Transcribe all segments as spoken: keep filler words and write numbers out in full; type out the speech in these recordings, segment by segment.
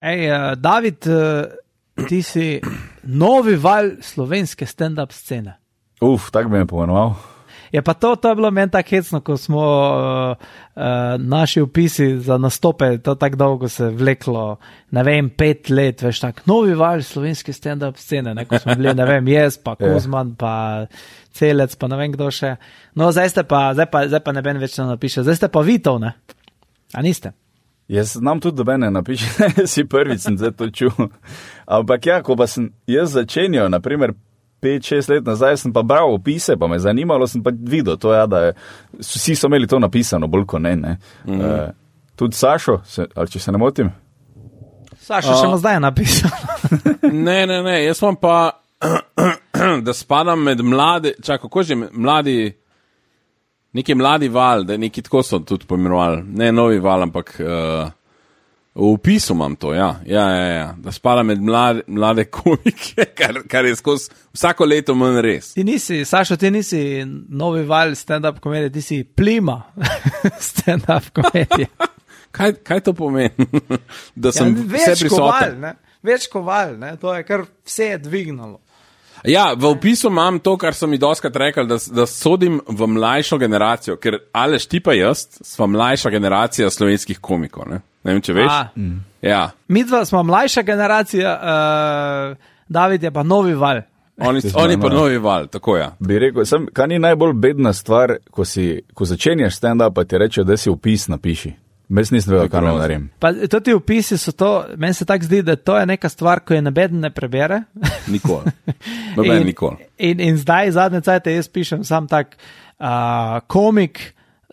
Ej, uh, David, uh, ti si novi val slovenske stand-up scene. Uf, tak bi me pomenoval. Je pa to, to je bilo meni tako hecno, ko smo uh, uh, naši opisi za nastope, to tako dolgo se vleklo, ne vem, pet let, veš tak, novi val slovenske stand-up scene, ne, ko smo bili, ne vem, jaz, pa Kuzman, pa Celec, pa ne vem kdo še. No, zdaj ste pa, zdaj pa, zdaj pa ne ben več ne napiše, zdaj ste pa Vitov, ne? A niste? Jaz nam tudi do mene napiše, si prvič sem zdaj to čul. Ampak ja, ko pa sem jaz začenjal, naprimer, pet, šest let nazaj, sem pa bral opise, pa me zanimalo, sem pa videl to, ja, da je, vsi so imeli to napisano, bolj kot ne, ne. Mm. Uh, tudi Sašo, se, ali če se ne motim? Sašo uh, še ima zdaj napisano. ne, ne, ne, jaz vam pa, da spadam med mlade, čak, kako že mladi, neki mladi val, da neki tako so tudi poimenovali, ne novi val, ampak uh, v opisu imam to, ja, ja, ja, ja. Da spada med mlade, mlade komike, kar, kar je skozi vsako leto manj res. Ti nisi, Sašo, ti nisi novi val stand-up komedije, ti si plima stand-up komedije. kaj, kaj to pomeni? Da sem ja, vse prisoten. Ne? Več koval, ne? To je kar vse je dvignalo. Ja, v opisu imam to, kar so mi doskrat rekli, da, da sodim v mlajšo generacijo, ker Aleš, ti pa jaz, sva mlajša generacija slovenskih komikov, ne? Ne vem, če veš. Mm. Ja. Mi dva smo mlajša generacija, uh, David je pa novi val. Oni, oni pa novi val, tako ja. Bi rekel, sem, kaj ni najbolj bedna stvar, ko, si, ko začenjaš stand-up, pa ti reče, da si opis napiši. Mes nisem vedel, kaj naredim. Pa to ti opisi so to, meni se tako zdi, da to je neka stvar, ko je nobeden ne prebere. Nikoli. Noben nikoli. In, in zdaj, zadnje cajte, jaz pišem sam tak uh, komik,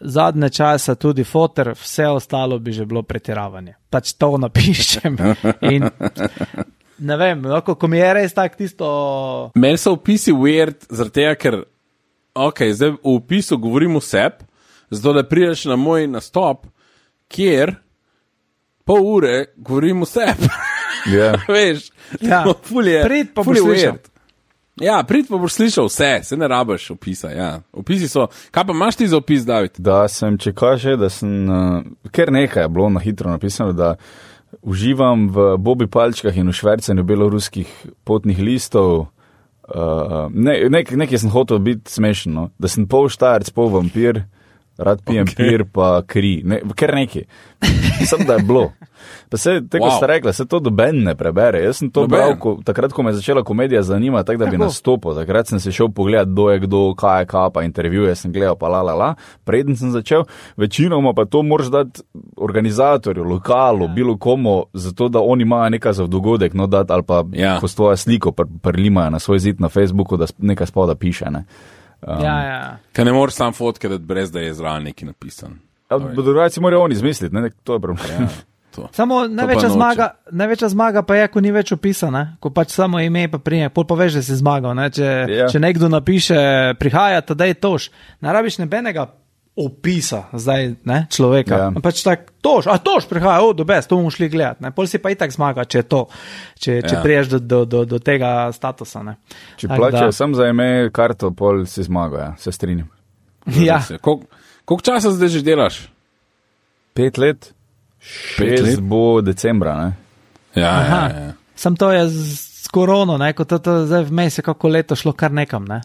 zadnje časa tudi foter, vse ostalo bi že bilo pretiravanje. Pač to napišem. In ne vem, ko, ko mi je res tak tisto... Meni so opisi weird, zaradi tega, ker ok, zdaj v opisu govorim vseb, zato da prideš na moj nastop, kjer pol ure govorim vse. Yeah. Veš, ja. fulje, prid pa boš slišal. Ja, prid pa boš slišal vse, se ne rabaš opisa. Ja. Opisi so, kaj pa imaš ti za opis, David? Da sem, če kaže, da sem, uh, ker nekaj je bilo na hitro napisano, da uživam v Bobi palčkah in v švercanju beloruskih potnih listov. Uh, ne, nek, nekaj sem hotel biti smešen, no? Da sem pol štajerc, pol vampir, rad pijem okay. pir pa kri, ne, ker neki. Sem, da je bilo. Pa se, tako wow. ste rekla, se to doben ne prebere. Jaz sem to doben. bral, ko, takrat, ko me je začela komedija zanima, tak, da bi nastopil. Takrat sem se šel pogledat, kdo je kdo, kaj je kaj, pa intervjuje sem gledal, pa la, la, la. Preden sem začel, večinoma pa to moraš dati organizatorju, lokalu, ja. bilo komu, zato da oni imajo nekaj za dogodek, no dati, ali pa ja. ko s tvojo sliko prlimajo na svoj zid na Facebooku, da nekaj spoda piše, ne. Um, ja, ja. Kaj ne moreš sam fotke, da brez da je zraven neki napisan. Drugače morajo oni izmisliti, ne, to je problem. Ja, to. Samo največja zmaga, največja zmaga pa je, ko ni več opisa, ne, ko pač samo ime pa prije, pol pa veš, da si zmagal, ne, če, ja. če nekdo napiše, prihaja, tada je tož, ne rabiš nebenega opisa, zdaj, ne, človeka, ja. pač tak, tož, a tož prihaja, o, do best, to bomo šli gledati, ne, pol si pa itak zmaga, če to, če, če ja. priješ do, do, do, do tega statusa, ne. Če plačajo sem za ime karto, pol si zmagal, ja, se strinjam. Ja. Koliko kolik časa zdaj že delaš? Pet let, šest let? Bo decembra, ne. Ja, ja, ja. Sam to je z, z korono, ne, ko to, to zdaj vmes je kako leto šlo kar nekam, ne.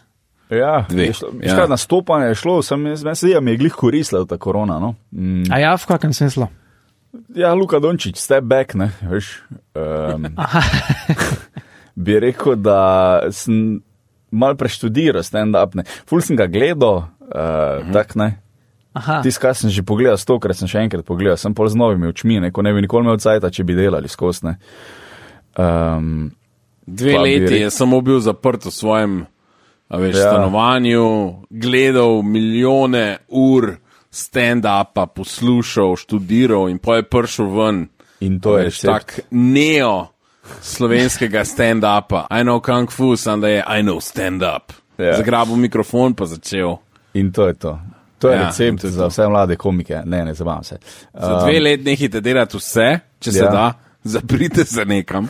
Ja, je šlo, ja. nastopanje je šlo, sem, sem se mi je glih koristila ta korona, no. Mm. A ja, v kakem smislu? Ja, Luka Dončić, step back, ne, veš. Um, bi rekel, da sem mal preštudiral stand-up, ne. Ful sem ga gledal, uh, mhm. tak, ne. Tis, kaj sem že pogledal stokrat, sem še enkrat pogledal, sem pol z novimi očmi, ne, ko ne bi nikoli imel cajta, če bi delali skozi, ne. Um, Dve leti je samo bil zaprt v svojem a veš, ja. stanovanju, gledal milijone ur stand-upa, poslušal, študiral in pa je prišel ven. In to je tak neo slovenskega stand-upa. I know kung fu, sam da je I know stand-up. Ja. Zagrabil mikrofon pa začel. In to je to. To je ja, recept za vse mlade komike. Ne, ne zabavam se. Za um, dve let nehite delati vse, če se ja. da, zaprite se nekam.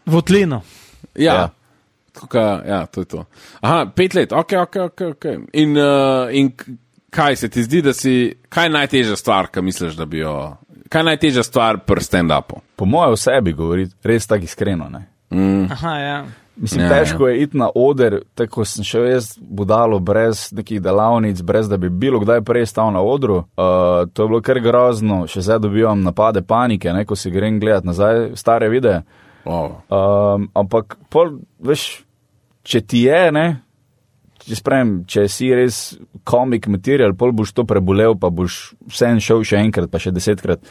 V otlino. Ja. ja. Tukaj, ja, to je to. Aha, pet let, ok, ok, ok, ok. In, uh, in kaj se ti zdi, da si, kaj je najtežja stvar, kaj misliš, da bi jo kaj je najtežja stvar pri stand-upu? Po mojem o sebi govori, res tako iskreno, ne. Mm. Aha, ja. Mislim, Ja, težko je iti na oder, tako sem še jaz budalo, brez nekih delavnic, brez da bi bilo kdaj prej stal na odru. Uh, to je bilo kar grozno, še zdaj dobivam napade panike, ne, ko si grem gledat nazaj stare videe. Oh. Um, ampak, pol, veš, če ti je, ne, če sprem, če si res komik material, pol boš to prebolel, pa boš vsem šel še enkrat, pa še desetkrat,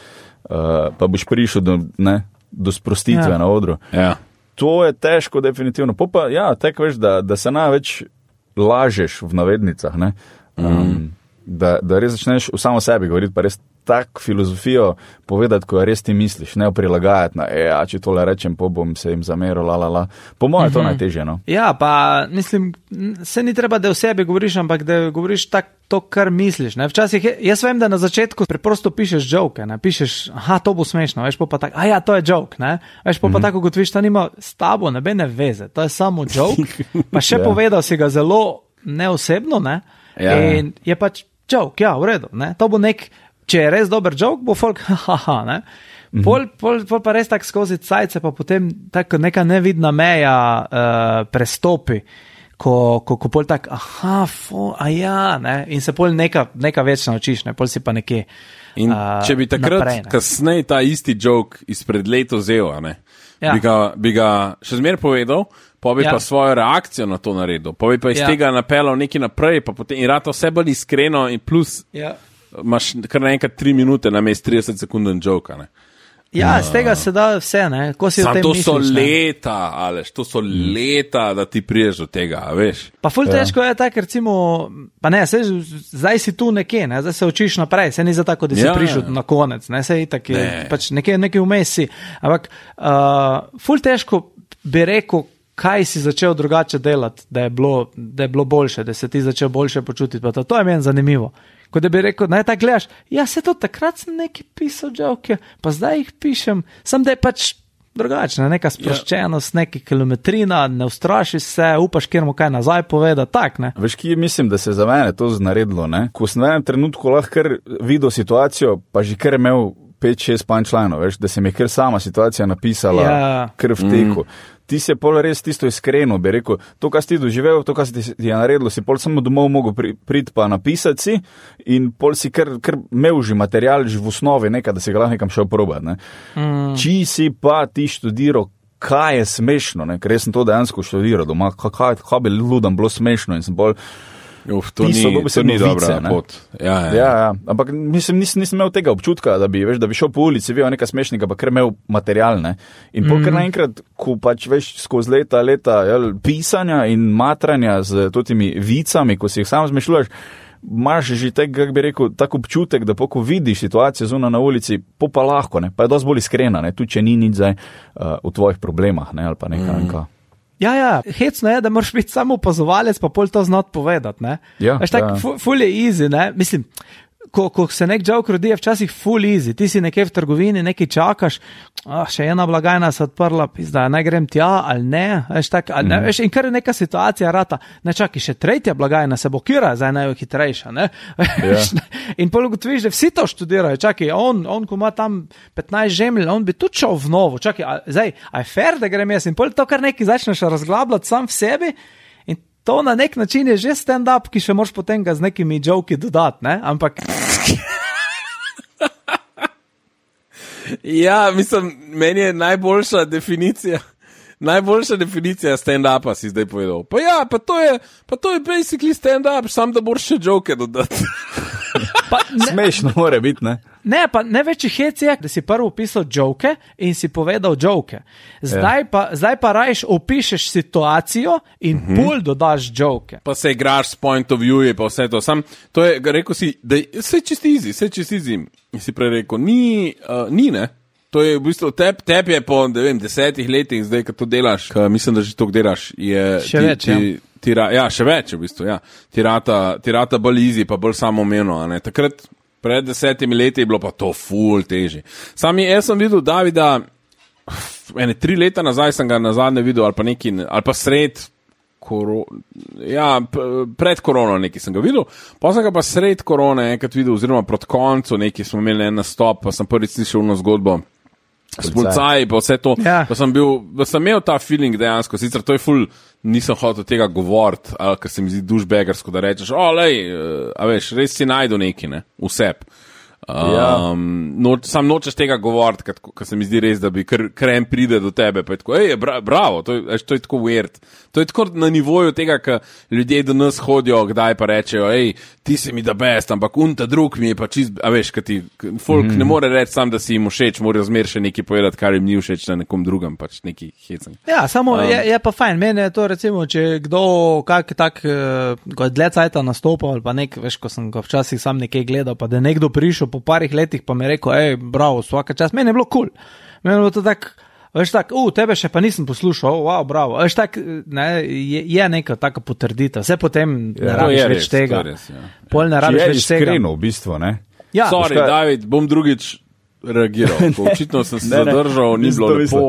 uh, pa boš prišel do, ne, do sprostitve ja. na odru. Ja. To je težko, definitivno. Po pa, ja, tako veš, da, da se največ lažeš v navednicah, ne? Um, mm. da, da res začneš v samo sebi govoriti, pa res tak filozofijo povedati, ko res ti misliš, ne prilagajati na, e, a če tole rečem, po bom se jim zameril, la, la, la. Po mojem je to mm-hmm. najtežje, no. Ja, pa mislim, se ni treba, da o sebi govoriš, ampak da govoriš tak, to, kar misliš, ne. Včasih, je, jaz vem, da na začetku preprosto pišeš joke, ne, pišeš, aha, to bo smešno, veš, po pa tak, a ja, to je joke, ne, veš, po pa mm-hmm. tako, kot viš, to nima s tabo nebene veze, to je samo joke, pa še ja. povedal si ga zelo neosebno, ne, ja. in je pač joke, ja, v redu, ne, to bo nek, če je res dober joke, bo folk, haha, ne. Pol, pol, pol pa res tak skozi cajce, pa potem tako neka nevidna meja uh, prestopi, ko, ko, ko pol tak, aha, fo, a ja, ne, in se pol neka, neka več naučiš, ne, pol si pa nekje In uh, če bi takrat, naprej, kasneje ta isti joke izpred leto vzel, ne, ja. bi, ga, bi ga še zmer povedal, pa bi ja. pa svojo reakcijo na to naredil, pa bi pa iz ja. tega napeljal nekaj naprej, pa potem in rado vse bolj iskreno in plus ja. imaš kar naenkrat tri minute na mest trideset sekunden joke, ne. Ja, z tega se da vse, ne. Ko si Sam o tem to misliš, so ne? leta, Aleš, to so mm. leta, da ti priješ do tega, veš. Pa ful Ja. težko je tako, recimo, pa ne, sej, zdaj si tu nekje, ne, zdaj se učiš naprej, se ni za tako, da si Ja. prišel na konec, ne, sej tak je, Ne. pač nekje, nekje vmes si, ampak uh, ful težko bi rekel, kaj si začel drugače delati, da je bilo, da je bilo boljše, da se ti začel boljše počutiti, pa to, to je meni zanimivo. Ko da bi rekel, naj tako gledaš, ja, se to takrat sem nekaj pisal joke, pa zdaj jih pišem, sem da je pač drugačna, neka sproščenost, neka kilometrina, ne ustrašiš se, upaš, kjer mu kaj nazaj poveda, tak, ne. Veš, ki mislim, da se je za mene to znaredilo, ne? Ko sem v enem trenutku lahko kar videl situacijo, pa že kar imel pet, šest punchlinov, veš, da se mi je kar sama situacija napisala, Ja. kar v teku. Mm. Ti si pol res tisto iskreno, bi rekel, to, kar si ti doživel, to, kar si ti je naredilo, si pol samo domov mogel pri, priti pa napisati si in pol si kar, kar imel že material, že v osnovi nekaj, da si ga lahko nekam šel probati, ne. Mm. Či si pa ti študiral, kaj je smešno, ne, ker jaz sem to dejansko študiral doma, kaj, kaj bi ljudem bilo smešno in sem bolj Uf, to pisal, ni, to ni dobra pot. Ja, ja. Ja, ja, ampak mislim, nisem, nisem imel tega občutka, da bi, veš, da bi šel po ulici, videl nekaj smešnega, pa kar imel material, ne. In pol kar naenkrat, ko pač veš skozi leta, leta jel, pisanja in matranja z totimi vicami, ko si jih sam zmešljuješ, imaš že tak, kako bi rekel, tak občutek, da poko vidiš situacijo zunaj na ulici, po pa lahko, ne, pa je dosti bolj iskrena, ne, tudi če ni nič zdaj uh, v tvojih problemah, ne, ali pa nekaj, mm. nekaj. Ja, ja, hecno je, da moraš biti samo opazovalec, pa pol to znati povedati, ne. Ja, Veš, tak, ja. fu- ful je easy, ne, mislim, ko, ko se nek joke rodi, je včasih full easy, ti si nekje v trgovini, nekaj čakaš, ah, še ena blagajna se odprla, pizda, naj grem tja ali ne, veš, tak, ali ne, mm. veš, in kar je neka situacija rata, ne čaki, še tretja blagajna se blokira, zdaj naj je hitrejša, ne, veš, Ja. in pol ugotoviš, da vsi to študirajo, čaki, on, on, ko ima tam petnajst žemlj, on bi tudi šel v novo, čaki, a, zdaj, a je fair, da grem jaz, in pol to kar nekaj začneš razglabljati sam v sebi, in to na nek način je že stand-up, ki še moraš potem ga z nekimi joki dodati, ne, ampak Ja, mislim, meni je najboljša definicija, najboljša definicija stand-upa si zdaj povedal. Pa ja, pa to je, pa to je basically stand-up, sam da boš še joke dodati. pa ne, Smešno mora biti, ne. ne, pa največji hec je, da si prvo opisal joke in si povedal joke. Zdaj, ja. pa, zdaj pa rajš opišeš situacijo in mm-hmm. pol dodaš joke. Pa se igraš s point of view, pa vse to. Sam, to je, rekel si, da je vse čist easy, vse čist easy. In si prej rekel, ni, uh, ni, ne. To je v bistvu, tep, tep je po, ne vem, desetih letih, zdaj, ko to delaš, ko mislim, da že to delaš, je... Še ti, več, ti, ja. Ti, ra, ja, še več v bistvu, ja. Ti rata, ti rata bolj easy, pa bolj samoumevno, a ne. Takrat, pred desetimi leti je bilo pa to ful težje. Sam je, jaz sem videl Davida, ene tri leta nazaj sem ga nazadnje videl, ali pa neki, ali pa sred koro, ja, pred korono nekaj sem ga videl, pa sem ga pa sred korone enkrat videl, oziroma proti koncu nekaj smo imeli en nastop, pa sem prvič slišal eno zgodbo s policaji, pa vse to, ja. pa sem bil, pa sem imel ta feeling dejansko, sicer to je ful, nisem hotel tega govoriti, ali ker se mi zdi dušbegarsko, da rečeš, o, lej, a veš, res si najdu neki, ne, vseb. Um, ja. noč, sam nočeš tega govoriti, ker se mi zdi res, da bi kar, kar en pride do tebe, pa je tako, ej, bra, bravo, to je, to je tako weird. To je tako na nivoju tega, ker ljudje do nas hodijo, kdaj pa rečejo, ej, ti si mi da best, ampak un ta drug mi je pa čist, a veš, kad ti, folk mm. ne more reči sam, da si jim všeč, morajo zmer še nekaj povedati, kar jim ni všeč na nekom drugem, pač neki hecen. Ja, samo um, je, je pa fajn, meni je to recimo, če kdo kak tak, ko je dlje cajta nastopal, ali pa nek, veš, ko sem ga včasih sam nekaj gledal, pa da je nekdo prišel po parih letih, pa mi je rekel, ej, bravo, svaka čast, meni je bilo kul, cool. Meni je bilo to tak, veš tak, u, tebe še pa nisem poslušal, wow, bravo, veš tak, ne, je, je neka taka potrdita, vse potem ja, ne rabiš več res, tega, res, ja. Pol ne rabiš več tega. Iskreno, v bistvu, ne? Ja. Sorry, David, bom drugič reagiral, očitno sem se zadržal, ni bilo lepo.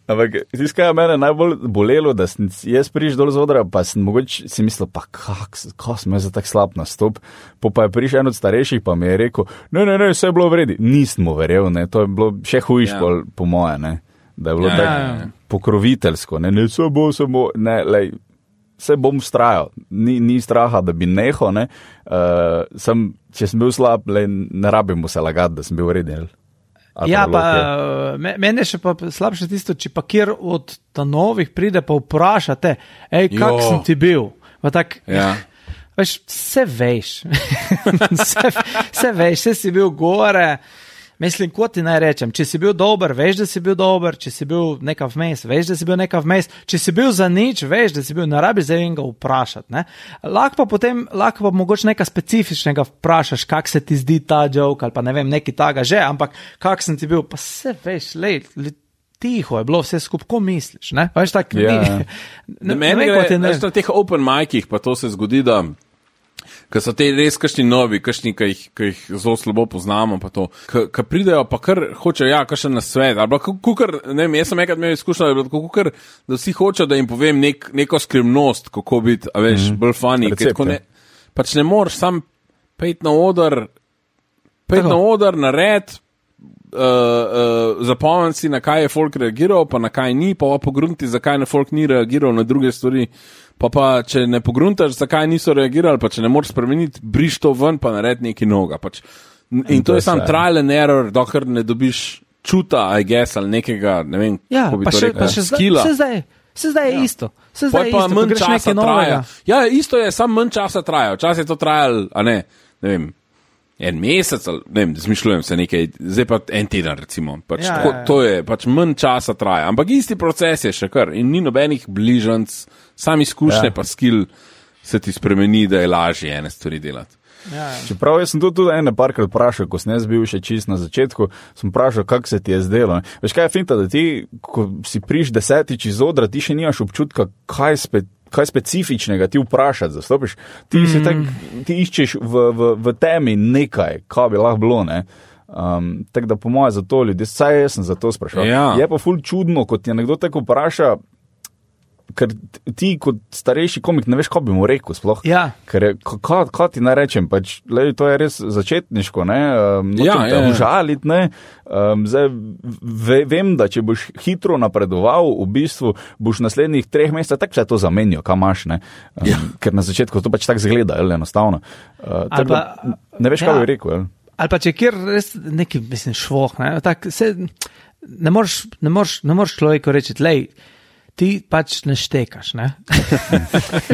Ampak, tiskaj je mene najbolj bolelo, da sem jaz prišel dol z odra, pa sem mogoče si mislil, pa kak, kako sem jaz za tak slab nastop, po pa je prišel en od starejših, pa mi je rekel, ne, ne, ne, vse je bilo vredi. Nisem mu verjel, ne, to je bilo še hujš ja. pol, po moje, ne, da je bilo ja, tako ja, ja. pokroviteljsko, ne, ne, se bo, se bo, ne, lej, se bom strajal, ni, ni straha, da bi nehal, ne, uh, sem, če sem bil slab, lej, ne rabim mu se lagati, da sem bil vreden. Ja, pa me, mene še pa slabše tisto, če pa kjer od ta novih pride pa vprašate, ej, kak jo. sem ti bil? Pa tak, ja. veš, vse veš, vse, vse veš, vse si bil gore, mislim, ko ti naj rečem, če si bil dober, veš, da si bil dober, če si bil neka vmes, veš, da si bil neka vmes, če si bil za nič, veš, da si bil, ne rabi zdaj enega vprašati, ne. Lahko pa potem, lahko pa mogoče nekaj specifičnega vprašaš, kak se ti zdi ta joke, ali pa ne vem, neki taga že, ampak kak sem ti bil, pa se veš, lej, lej, tiho je bilo vse skup, ko misliš, ne, veš, tak, ja. ni, ne, meni gre, veš, na teh open micih, pa to se zgodi, da ker so te res kakšni novi, kakšni, ki jih, ki jih zelo slabo poznamo, pa to, ki pridejo, pa kar hočejo, ja, kakšen na svet, ali pa kukar, ne vem, jaz sem enkrat imel izkušnjo, da kukar, da vsi hočejo, da jim povem nek, neko skrivnost, kako biti, a veš, mm. bolj funny, ker ne, pač ne moreš sam pejt na oder, pejt na oder, nared, uh, uh, zapomniti si, na kaj je folk reagiral, pa na kaj ni, pa pa pogrunti, zakaj na folk ni reagiral na druge stvari. Pa pa, če ne pogruntaš, zakaj niso reagirali, pa če ne moreš spremeniti, briš to ven, pa naredi neki noga. Pač. In, in to je sam trial and error, dokler ne dobiš čuta, I guess, ali nekega, ne vem, ja, kako bi to še, rekel, še skila. Se zdaj, se zdaj je ja. isto. Se zdaj je pa isto, manj časa traja. Ja, isto je, sam manj časa traja. Včasih je to trajal, a ne, ne vem, en mesec, ali, ne vem, zmišljujem se nekaj, zdaj pa en teden, recimo. Pač, ja, tako, ja, ja. To je, pač manj časa traja. Ampak isti proces je še kar in ni nobenih bližanc, sam izkušnje ja. pa skill se ti spremeni, da je lažje ene stvari delati. Ja, ja. Čeprav jaz sem to tudi ene parkrat vprašal, ko sem jaz bil še čist na začetku, sem vprašal, kako se ti je zdelo. Veš, kaj je finta, da ti, ko si priš desetič iz odra, ti še nimaš občutka, kaj spet kaj specifičnega ti vprašati, zastopiš, ti mm. se tak, ti iščeš v, v, v temi nekaj, kaj bi lahko bilo, ne. Um, tako da po moje za to ljudi, saj jaz sem za to sprašal. Ja. Je pa ful čudno, kot ti nekdo tako vpraša, ker ti kot starejši komik ne veš, kaj bi mu rekel sploh. Ja. Ker je, kaj, kaj ti naj rečem, pač, lej, to je res začetniško, ne, um, ja, te ja, užalit, ne, um, zdaj ve, vem, da če boš hitro napredoval, v bistvu boš v naslednjih treh mesecih tako se to zamenjal, kam imaš, ne, um, ja. Ker na začetku to pač tako zgleda, jel, enostavno. Uh, tako pa, da, ne veš, kaj ja. bi rekel, jel. Ali pa če kjer res neki, mislim, švoh, ne, tak, se, ne moreš, ne moreš, ne moreš človeku reči, lej, ti pač ne štekaš, ne?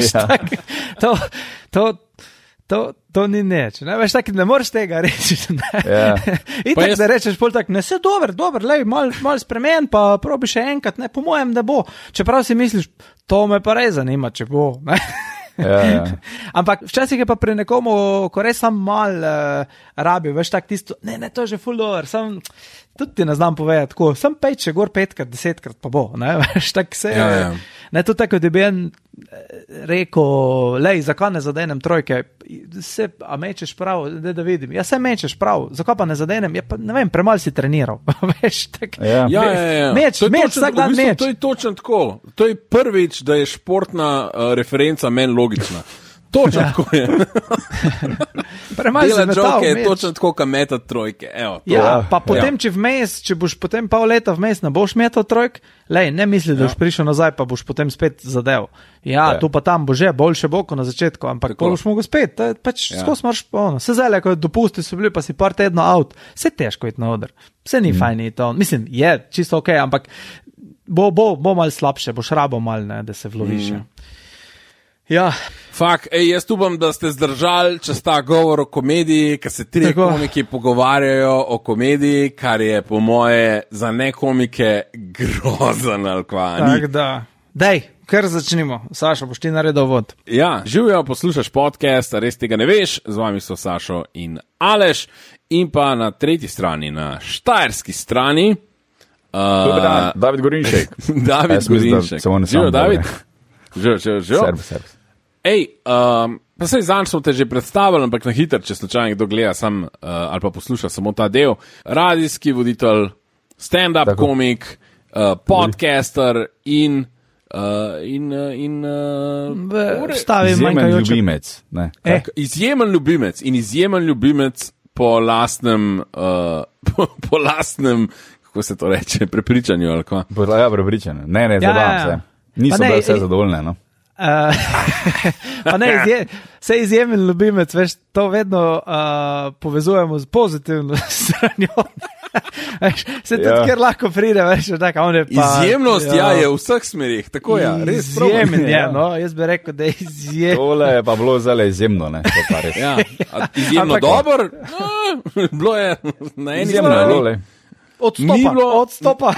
ja. tak, to, to, to, to ni neč, ne? Veš, tak, ne moreš tega reči, ne? Ja. In tako, jaz... da rečeš pol tak, ne, se dober, dober, lej, mal, mal spremen, pa probi še enkrat, ne, po mojem, da bo. Čeprav si misliš, to me pa res zanima, če bo, ne? ja, ja. Ampak včasih je pa pri nekomu, ko res sam mal uh, rabi, veš, tak tisto, ne, ne, to je že ful dober, sam tudi ti ne znam povedati, tako, sem pej, če gor petkrat, desetkrat pa bo, ne, veš, tak se, Ja, ja. ne, tudi tako, da bi en rekel, lej, zakaj ne zadenem trojke, se, a mečeš prav, da, da vidim, ja, se mečeš prav, zakaj pa ne zadenem, ja, pa, ne vem, premal si treniral, veš, tak, Ja. Ja, ja, ja. Meč, To je meč, točno- vsak dan v bistvu, meč. To je točno tako. To je prvič, da je športna uh, referenca meni logična. Točno tako je. premal si Dela metal, joke je meč. točno tako, kam meta trojke. Evo, to. Ja, Ja, pa potem, ja. če vmes, če boš potem pol leta vmes ne boš metal trojk, lej, ne misli, da boš prišel nazaj, pa boš potem spet zadev. Ja, Ja. tu pa tam bo že, boljše bo kot na začetku, ampak Tako. pol boš mogel spet, to je pač Ja. skozi marš, ono, se zdaj, ko dopusti so bili, pa si par tedno out, vse težko iti na oder, vse ni mm. fajn iti on, mislim, je čisto ok, ampak bo, bo, bo mal slabše, boš rabo mal, ne, da se vloviš. Mm. Ja, Fak, ej, jaz upam, da ste zdržali, če sta govor o komediji, ker se tri Tako. komiki pogovarjajo o komediji, kar je po moje za nekomike grozen ali kva. ni. tako da, dej, kar začnimo, Sašo, boš ti naredil vod. Ja, živijo, poslušaš podcast, res tega ne veš, z vami so Sašo in Aleš, in pa na tretji strani, na štajerski strani, Dober dan, uh, David Gorinšek. David Jaz mislim, da Gorinšek. se on ne Živijo, sam David? dobre. Živijo, živijo, živijo. Servus, servus. Ej, um, pa sej zanj smo te že predstavili, ampak na hitro, če slučajno kdo gleda sam, uh, ali pa posluša samo ta del, radijski voditelj, stand-up Tako. komik, uh, podcaster in, uh, in, uh, in uh, Vstavi Izjemen manjkajoče. ljubimec. Ne. Eh, izjemen ljubimec in izjemen ljubimec po lastnem, uh, po, po lastnem, kako se to reče, prepričanju ali kva. Bila ja prepričana. Ne, ne, Ja, zabavam ja, ja. se. Niso Pa ne, bile vse eh, zadovoljne, no. Uh, pa ne, izje, se izjemen ljubimec, veš, to vedno uh, povezujemo z pozitivno stranjo. Veš, se tudi, Ja. ker lahko pride, veš, tak, on je pa... Izjemnost ja, je v vseh smerih, tako je. Ja, res Izjemen je, Ja. no, jaz bi rekel, da je izjemen. Tole je pa bilo zelo izjemno, ne. To pa res. Ja, a izjemno Ampak- dobro, no, bilo je na eni Izjemno je bilo, strani le. Odstopa, Ni bilo- odstopa.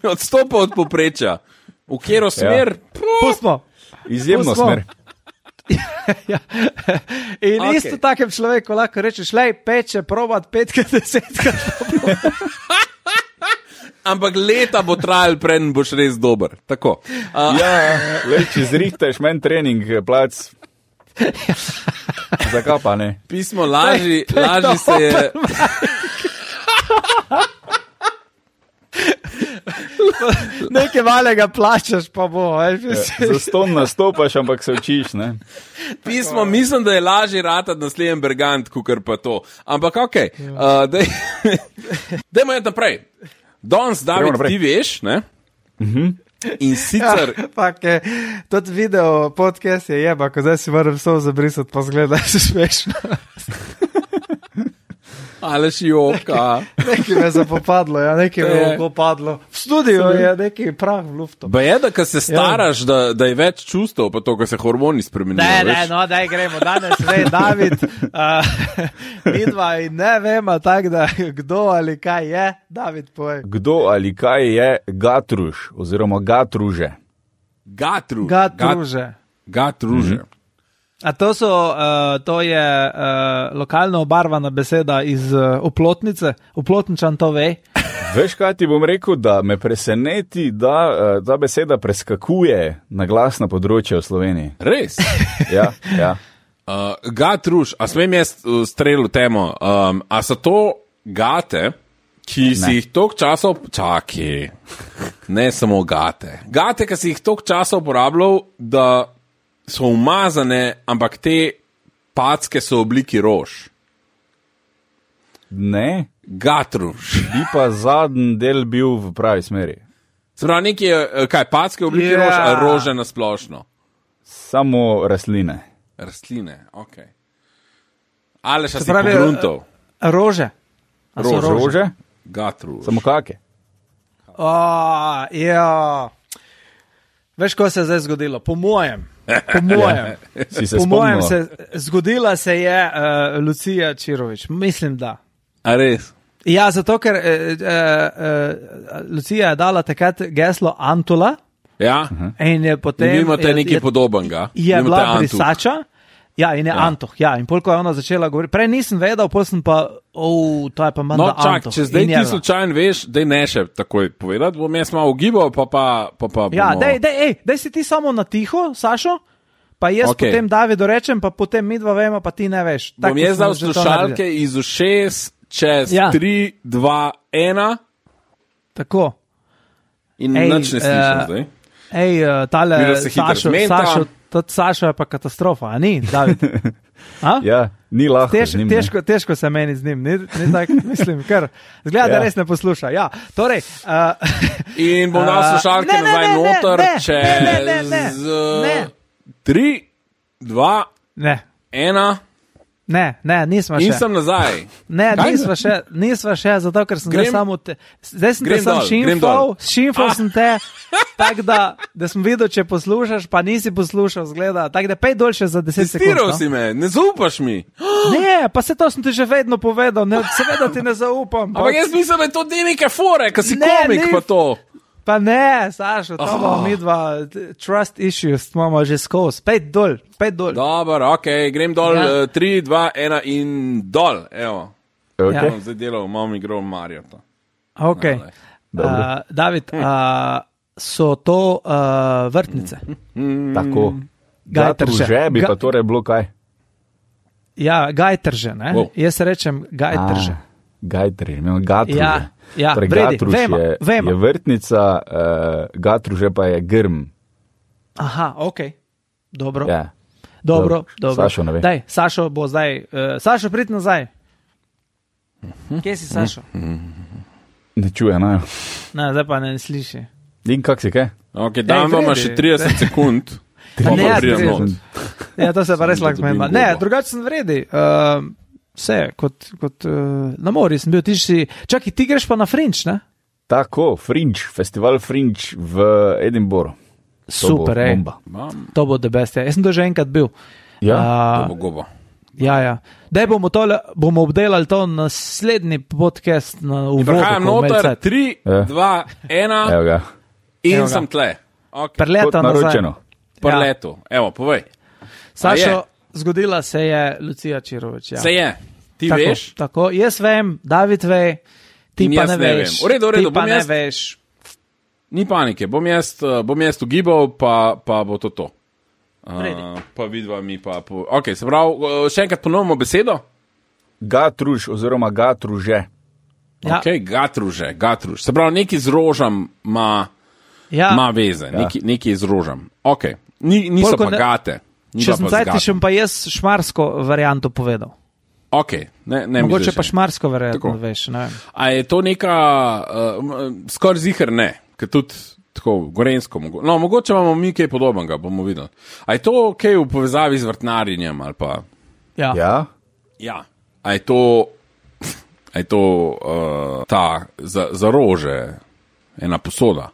odstopa od poprečja. V katero smer? Pustimo. Izjemno Pustimo. smer. Ja. In Okej. okay. isto takem človeku lahko rečeš, lej, peče, probat petkrat, desetkrat. Ampak leta bo trajal, preden boš res dober. Tako. Uh, Ja, le, če zrihteš men trening, plac. Zakaj pa ne? pismo laži, to je laži se je. Nekaj malega plačaš, pa bo. Veš, mislim. Za ston nastopaš, ampak se učiš, ne. Pismo, mislim, da je lažje ratati naslednji Bergant, kukar pa to. Ampak ok, uh, daj, dajmo iti naprej. Danes, David, naprej. ti veš, ne? Mhm. In sicer, Ja, fak, je, tudi video podcast je jeba, ko zdaj si moram vse zabrisati, pa zgleda, da se smešno. ali si joka. Nekaj me je zapopadlo, ja, nekaj me To je- je popadlo. V studiu je nekaj prah v luftu. Ba je, da ko se staraš, da, da je več čustev, pa to, ko se hormoni spremenijo. Ne, ne, veš. no, daj gremo, danes ve, David, uh, midva in ne vemo tako, da kdo ali kaj je, David poj. Kdo ali kaj je gatruž oziroma gatruže? Gatru. Ga Gat- druže. Gatruže. Mhm. A to, so, uh, to je uh, lokalno obarvana beseda iz uh, oplotnice, oplotničan to ve. Veš, kaj ti bom rekel, da me preseneti, da uh, ta beseda preskakuje na glasna področja v Sloveniji. Res. Ja, ja. Uh, gatruž, a smem jaz uh, strel v temo, um, a so to gate, ki si Ne. jih toliko časa, čaki, ne samo gate. Gate, ki si jih toliko časa uporabljal, da so umazane, ampak te packe so v obliki rož. Ne, Gatruž. bi pa zadnji del bil v pravi smeri. Se pravi, nekaj je, eh, kaj, packe v obliki Ja. rož, a rože na splošno. Samo rastline. Rastline, ok. Ali še Se si pravi, pogruntov? Rože. A so Rože. Rože? Gatruž. Samo kake? O, ja. Veš, ko se je zdaj zgodilo? Po mojem. Po mojem. Si se Po mojem spomnil? se zgodila se je uh, Lucija Čirović. Mislim, da. A res? Ja, zato ker uh, uh, uh, Lucija je dala takrat geslo Antula Ja? in je potem. In vi imate je, nekaj je, podobnega. je Vi bila imate Antu. brisača. Ja, in je ja. Antoh, ja, in polko je ona začela govoriti. Prej nisem vedel, pol sem pa, oh, to je pa manj no, Antoh. No, čak, če zdaj ti slučajno veš, daj ne še takoj povedati, bom jaz malo ugibal, pa pa, pa, pa ja, bomo... daj, daj, ej, daj si ti samo na tiho, Sašo, pa jaz okay. potem Davidu rečem, pa potem mi dva vemo, pa ti ne veš. Tak, bom jaz dal slušalke iz ušes čez ja. tri, dva, ena. Tako. In ej, nič ne slišim uh, zdaj. Ej, uh, tale Sašo, Sašo, tudi Sašo je pa katastrofa, a ni, David? A? Ja, ni lahko. Tež, njim, težko, težko se meni z njim, ni, ni tak, mislim, ker zgleda, ja. da res ne posluša. Ja, torej, uh, in bom dal slušalke uh, nazaj noter, čez tri, dva, ena. Ne, ne, nismo še. In sem nazaj. Ne, nismo še, nismo še, zato ker sem grem, zdaj samo te, zdaj sem te sam šimfal, šimfal ah. sem te, tako da, da sem videl, če poslušaš, pa nisi poslušal, zgleda, tako da pej dol še za deset sekund. Testiral si me, ne zaupaš mi. Ne, pa se to sem ti že vedno povedal, ne, seveda ti ne zaupam. Ampak jaz mislim, da je to te neke fore, ko si ne, komik ni, pa to. Pa ne, Sašo, to oh. bomo mi dva, trust issues, imamo že skozi, pej dol, pej dol. Dobar, ok, grem dol, ja. uh, tri, dva, ena in dol, evo. Okay. Ja. Zdaj delal, imam igro Mario. To. Ok, no, uh, David, uh, so to uh, vrtnice? Mm. Tako, gajtrže bi pa torej bilo kaj? Ja, gajtrže, ne, wow. Jaz rečem gajtrže. Ah. Gajtruž, imamo gatruže. Ja, ja, torej, vredi, gatruž vemo, je, vemo. je vrtnica, uh, gatruže pa je grm. Aha, ok, dobro. Ja. Dobro, dobro. Sašo ne ve. Daj, Sašo bo zdaj. Uh, Sašo, prid nazaj. Kje si, Sašo? Ne čuje, ne. Ne, zdaj pa ne sliši. In kak si, kaj? Ok, dan bomo še trideset sekund. Ne, ja, ja, to se pa res lahko zmenila. Ne, drugače sem vredi. Uh, Vse, kot, kot uh, na morju sem bil, ti si, čakaj, ti greš pa na Fringe, ne? Tako, Fringe, festival Fringe v Edinburghu. Super, ej, to bo the best, ja. Jaz sem to že enkrat bil. Ja, uh, to bo gobo. Ja, ja. Daj bomo tole, bomo obdelali to naslednji podcast na uvodu. Prehajam noter, tri, ja. dva, ena Evo ga. In Evo ga. sem tle. Okay. Preleta nazaj. Preletu, ja. Evo, povej. Sašo, zgodila se je Lucija Čirović. Ja. Se je, ti tako, veš? Tako, jaz vem, David ve, ti in pa ne, ne veš. V redu, v redu, ti pa bom ne jaz, veš. Ni panike, bom jaz, bom jaz ugibal, pa, pa bo to to. Uh, pa vidva mi pa... Po... Ok, se pravi, še enkrat ponovimo besedo? Gatruž oziroma gatruže. Ja. Ok, gatruže, gatruž. Se pravi, neki z rožam ima ja. veze, ja. neki, neki z rožam. Ok, Ni, niso Polko pa gate. Ni če sem zdaj ti še pa jaz šmarsko varianto povedal. Ok, ne, ne mogoče pa šmarsko varianto, veš, ne vem. A je to neka, uh, skoraj ziher ne, ker tudi tako gorensko, mogo, no, mogoče imamo mi kaj podobnega, bomo videli. A je to kaj v povezavi z vrtnarjenjem ali pa? Ja. Ja. Ja. A je to, a je to uh, ta za, za rože ena posoda?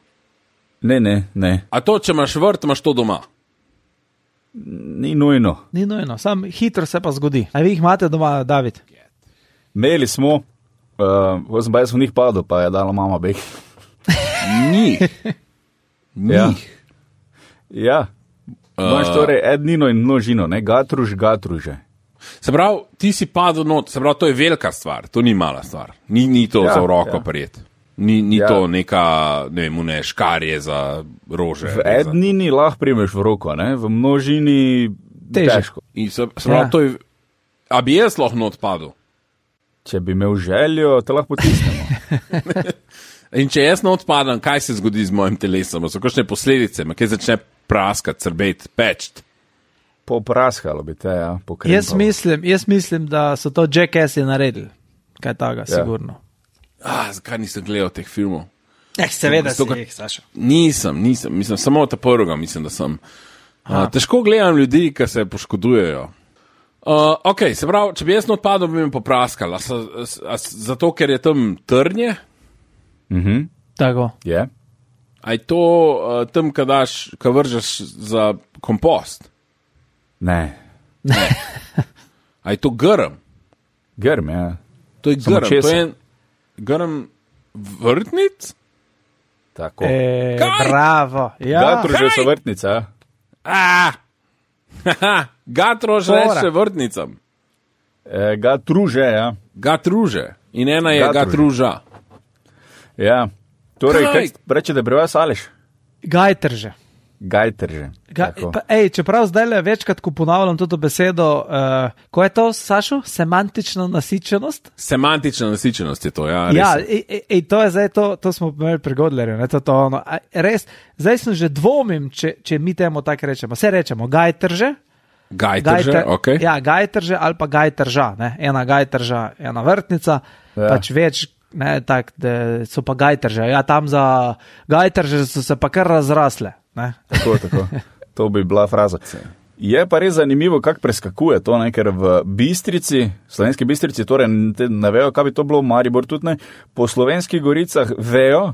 Ne, ne, ne. A to, če imaš vrt, imaš to doma? Ni nujno. Ni nujno, sam hitro se pa zgodi. A vi jih imate doma, David? Imeli smo, uh, sem pa jaz v njih padel, pa je dala mama beh. Njih? Njih? Ja. Imaš uh, torej ednino in množino, ne? Gatruž, gatruže. Se pravi, ti si padel not, se pravi, to je velika stvar, to ni mala stvar. Ni, ni to ja, za v roko ja. Prijet. Ni, ni ja. To neka, ne vem, ne, škarje za rože. V ednini za... lahko primeš v roko, ne? V množini težko. In se, se pravi, ja. To je, a bi jaz lahko not padel? Če bi imel željo, te lahko potisnemo. In če jaz not padam, kaj se zgodi z mojim telesom? So kakšne posledice, me kaj začne praskati, crbeti, peči? Popraskalo bi te, ja. Jaz mislim, jaz mislim, da so to Jackassi naredili. Kaj taga, ja. Sigurno. Ah, zakaj nisem gledal teh filmov? Eh, seveda si jih, Sašo. Nisem, nisem, mislim, samo ta prvega mislim, da sem. Uh, težko gledam ljudi, ki se poškodujejo. Uh, ok, se pravi, če bi jaz not padel, bi me popraskal. A, a, a, zato, ker je tam trnje? Mhm. Tako. Je. Yeah. A je to uh, tam, kad daš, kad vržeš za kompost? Ne. Ne. A je to grm? Grm, ja. To je grm, to je en grm vrtnic? Tako. E, bravo. Ja. Gatruže so vrtnica. Ah! Gatrož reče vrtnicam. E, gatruže, ja. Gatruže. In ena je Gatruže. gatruža. Ja. Torej, Kaj? kaj reče, da je pri vas Aleš? Gajtrže. Gajtrže. Ga, pa, ej, čeprav zdaj le večkrat, ko ponavljam to besedo, uh, ko je to, Sašo? Semantična nasičenost? Semantična nasičenost je to, ja. Res. Ja, ej, ej, ej, to je zdaj, to, to smo imeli pri Godlerju, ne, to, to ono. A, res, zdaj sem že dvomim, če, če mi temu tako rečemo. Vse rečemo, gajtrže. Gajtrže, ok. Ja, gajtrže ali pa gajtrža, ne, ena gajtrža, ena vrtnica, ja. Pač več, ne, tak, da so pa gajtrže. Ja, tam za gajtrže so se pa kar razrasle. Ne? Tako, tako. To bi bila fraza. Je pa res zanimivo, kako preskakuje to, ne? Ker v Bistrici, slovenski Bistrici, torej ne vejo, kaj bi to bilo, Maribor tudi ne, po slovenskih goricah vejo,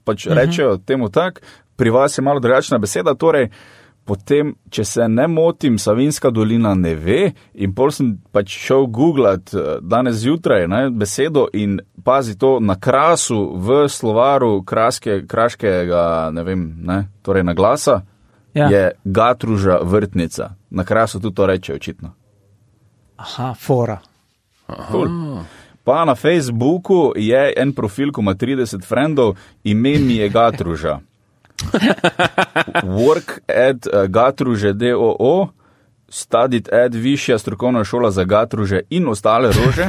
pač uh-huh. rečejo temu tak, pri vas je malo drugačna beseda, torej potem, če se ne motim, Savinjska dolina ne ve in pol sem pač šel googlat danes zjutraj ne, besedo in pazi to na Krasu v slovaru kraske, kraškega, ne vem, ne, torej na glasa, ja. Je gatruža vrtnica. Na Krasu tudi to reče očitno. Aha, fora. Cool. Pa na Facebooku je en profil, ko ima trideset frendov, ime mi je gatruža. Work at uh, gatruže D O O, studied at višja strokovna šola za gatruže in ostale rože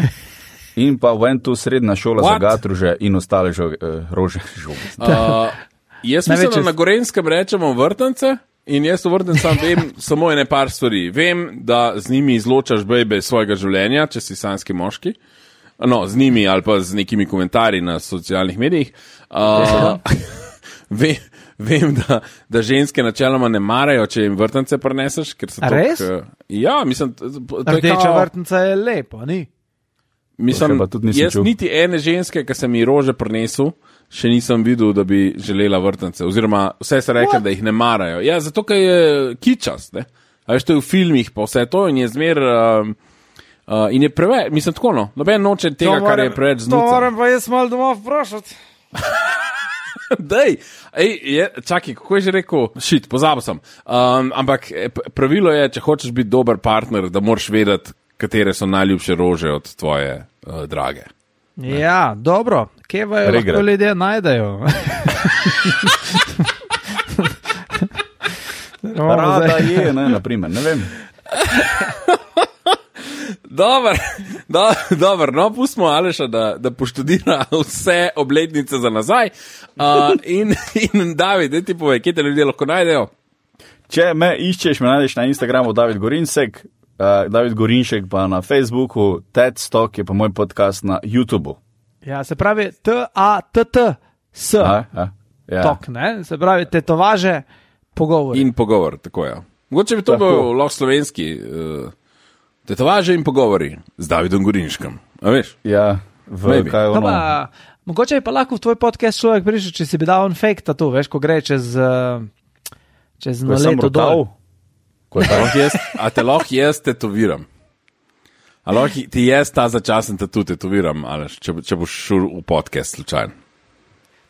in pa went to srednja šola What? Za gatruže in ostale žo, uh, rože. Uh, jaz mislim, da na Gorenskem rečemo vrtance in jaz v vrtancem vem samo ene par stvari. Vem, da z njimi izločaš bejbe svojega življenja, če si sanski moški. No, z njimi ali pa z nekimi komentarji na socialnih medijih. Uh, vem, Vem, da, da ženske načeloma ne marajo, če jim vrtance prineseš. Ker so A res? Tok, ja, mislim... Rdeča kao... vrtnica je lepo, ni? Mislim, jaz čuv. Niti ene ženske, ki sem ji rože prinesel, še nisem videl, da bi želela vrtance. Oziroma, vse se rekla, da jih ne marajo. Ja, zato, ker je kičast, ne? A veš, to je v filmih pa vse to in je zmer... Uh, uh, in je preveč, mislim tako, no. Noben noče tega, moram, kar je preveč znuca. To moram pa jaz malo doma vprašati. Dej, ej, je, čakaj, kako je že rekel? Šit, pozabil sem. Um, ampak pravilo je, če hočeš biti dober partner, da moraš vedeti, katere so najljubše rože od tvoje uh, drage. Ja, ne? Dobro. Kje vajo lahko ljudje najdejo? Rada je, ne, naprimer, ne vem. Dobar, do, dobar, no, pustimo Aleša, da, da poštudira vse obletnice za nazaj. Uh, in, in David, ti povej, kje te ljudje lahko najdejo? Če me iščeš, me najdeš na Instagramu David Gorinsek, uh, David Gorinšek pa na Facebooku, TED Talk je pa moj podcast na YouTubeu. Ja, se pravi T A T T S. A, a, ja. Talk, ne? Se pravi tetovaže, pogovor. In pogovor, tako je. Ja. Mogoče bi to tako. Bil lahko slovenski... Uh, Tetovaže in pogovori z Davidom Gorinškem. A veš? Ja, v kaj ono. Pa, mogoče je pa lahko v tvoj podcast človek prišel, če si bi dal on fake tattoo, veš, ko gre čez, čez na leto dol. A te lahko jaz tetoviram? A lahko ti jaz ta začasen tattoo tetoviram, ali če, če boš šel v podcast slučajno?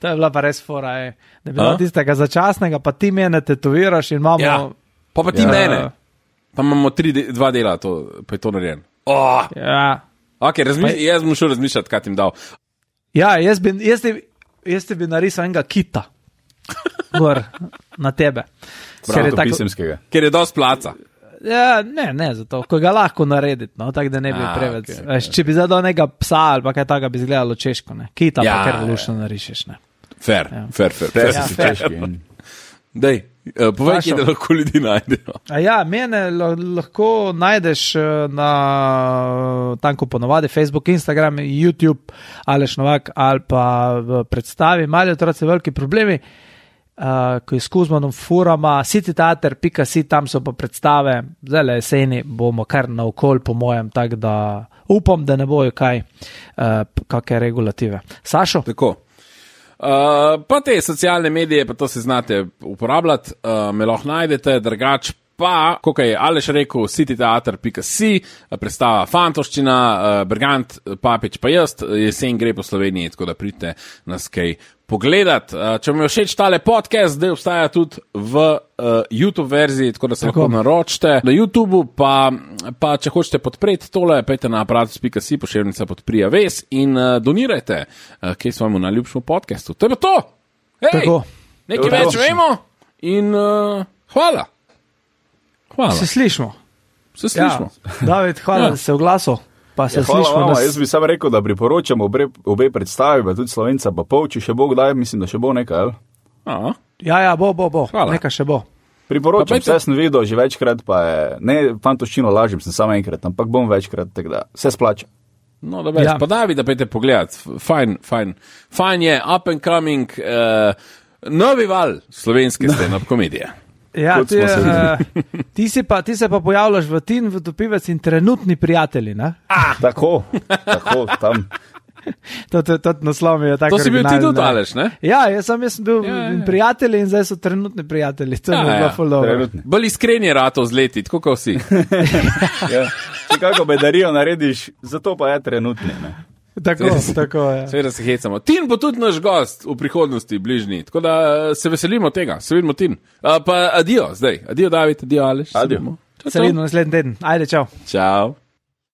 To je bila pa res fora, je. Da bi bilo tistega začasnega, pa ti mene tetoviraš in imamo... Ja, pa pa ti ja. Mene. Pa imamo tri, dva dela, to, pa je to narejen. Oh! Ja. Ok, razmišl, jaz bom šel razmišljati, kaj ti jim dal. Ja, jaz bi, jaz ti, jaz ti bi narisal enega kita. Gor, na tebe. Prav, ker je tako, ker je dosti placa. Ja, ne, ne, zato, ko ga lahko narediti, no, tako da ne bi A, preveč. Okay, Veš, okay. Če bi zadal nekega psa ali pa kaj takega, bi izgledalo češko, ne. Kita ja, pa kar lušno ja. Narišeš, ne. Fair, ja. fair, fair. fair, ja, si fair. Češki. Dej, uh, povej, kje da lahko ljudi najdejo. A ja, mene lahko najdeš na tanko ponovadi Facebook, Instagram, YouTube, Aleš Novak ali pa v predstavi Mali otroci veliki problemi, uh, ko je s Kuzmanom furama, cityteater pika si, tam so pa predstave, zdaj jeseni bomo kar naokol po mojem, tako da upam, da ne bojo kaj, uh, kakve regulative. Sašo? Tako. Uh, pa te socialne medije, pa to se znate uporabljati, uh, me lahko najdete, drugač Pa, kot je Aleš rekel, cityteater pika si, predstava Fantoščina, Bergant, Papič pa jaz, jesen gre po Sloveniji, tako da pridite nas kaj pogledat. Če vam je všeč tale podcast, zdaj obstaja tudi v uh, YouTube verziji, tako da se lahko naročite. Na YouTubeu pa, pa če hočete podpreti tole, pejte na aparatus pika si, pošiljnica podprija ves in uh, donirajte, uh, kaj svojemu najljubšemu podcastu. To je pa to! Hej, nekaj več vemo in uh, hvala. Hvala. Se slišmo. Se slišmo. Ja, David, hvala, ja. da se oglasil. Pa se ja, hvala slišmo. Vama, Da... Jaz bi sam rekel, da priporočam obe, obe predstavi, pa tudi Slovenca pa pol, če še bo kdaj, mislim, da še bo nekaj, ali? Aha. Ja, ja, bo, bo, bo. Hvala. Nekaj še bo. Priporočam, vse sem videl že večkrat, pa je, ne Fantoščino lažim, sem samo enkrat, ampak bom večkrat, tako da se splača. No, da več, ja. Pa David, da pejte pogledat. Fajn, fajn. Fajn je, up and coming, uh, novi val slovenske stand-up komedije. Ja, ti, uh, ti, si pa, ti se pa pojavljaš v Tin, v Topivec in trenutni prijatelji, ne? Ah, tako, tako, tam. To, to, to naslov je tako. To si bil ti tudi, Aleš, ne? Ja, jaz sem, jaz sem bil ja, ja. prijatelji in zdaj so trenutni prijatelji. To ja, je bilo ful dobro. Bolj iskren je rato zleti, tako kot vsi. Ja. Če kako bedarijo narediš, zato pa je trenutni, ne? Tako, tako je. Seveda se hecamo. Tin bo tudi naš gost v prihodnosti, bližnji. Tako da se veselimo tega. Se vidimo, Tin. Uh, pa adijo zdaj. Adijo, David. Adijo, Aleš. Adijo. Se vidimo naslednji teden. Ajde, čau. Čau.